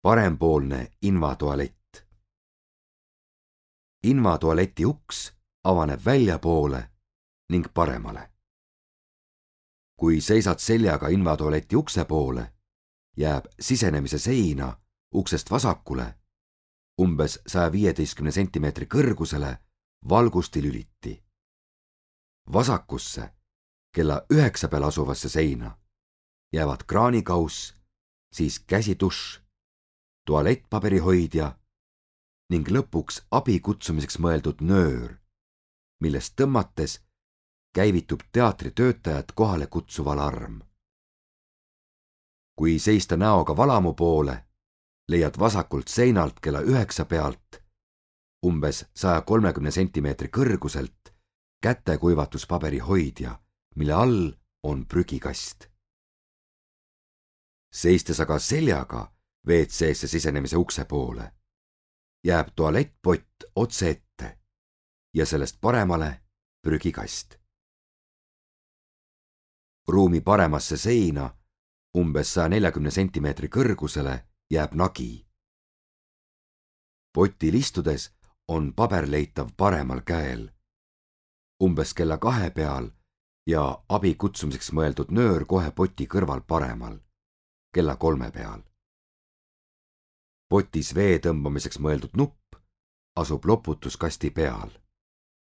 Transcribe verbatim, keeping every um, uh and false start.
Parempoolne invatualett. Invatualeti uks avaneb väljapoole ning paremale. Kui seisad seljaga invatualeti ukse poole, jääb sisenemise seina uksest vasakule umbes saja viieteistkümne sentimeetri kõrgusele valgustilüliti. Vasakusse kella üheksa peal asuvasse seina jäävad kraanikauss, siis käsitušš, tualettpaberihoidja ning lõpuks abi kutsumiseks mõeldud nöör, millest tõmmates käivitub teatritöötajat kohale kutsuv alarm. Kui seista näoga valamu poole, leiad vasakult seinalt kella üheksa pealt umbes saja kolmekümne sentimeetri kõrguselt kätekuivatuspaberihoidja, mille all on prügikast. Seistes aga seljaga ve et seesse sisenemise ukse poole, jääb tualettpott otse ette ja sellest paremale prügikast. Ruumi paremasse seina umbes saja neljakümne sentimeetri kõrgusele jääb nagi. Potil istudes on paber leitav paremal käel, umbes kella kahe peal ja abi kutsumiseks mõeldud nöör kohe poti kõrval paremal, kella kolme peal. Potis vee tõmbamiseks mõeldud nupp asub loputuskasti peal.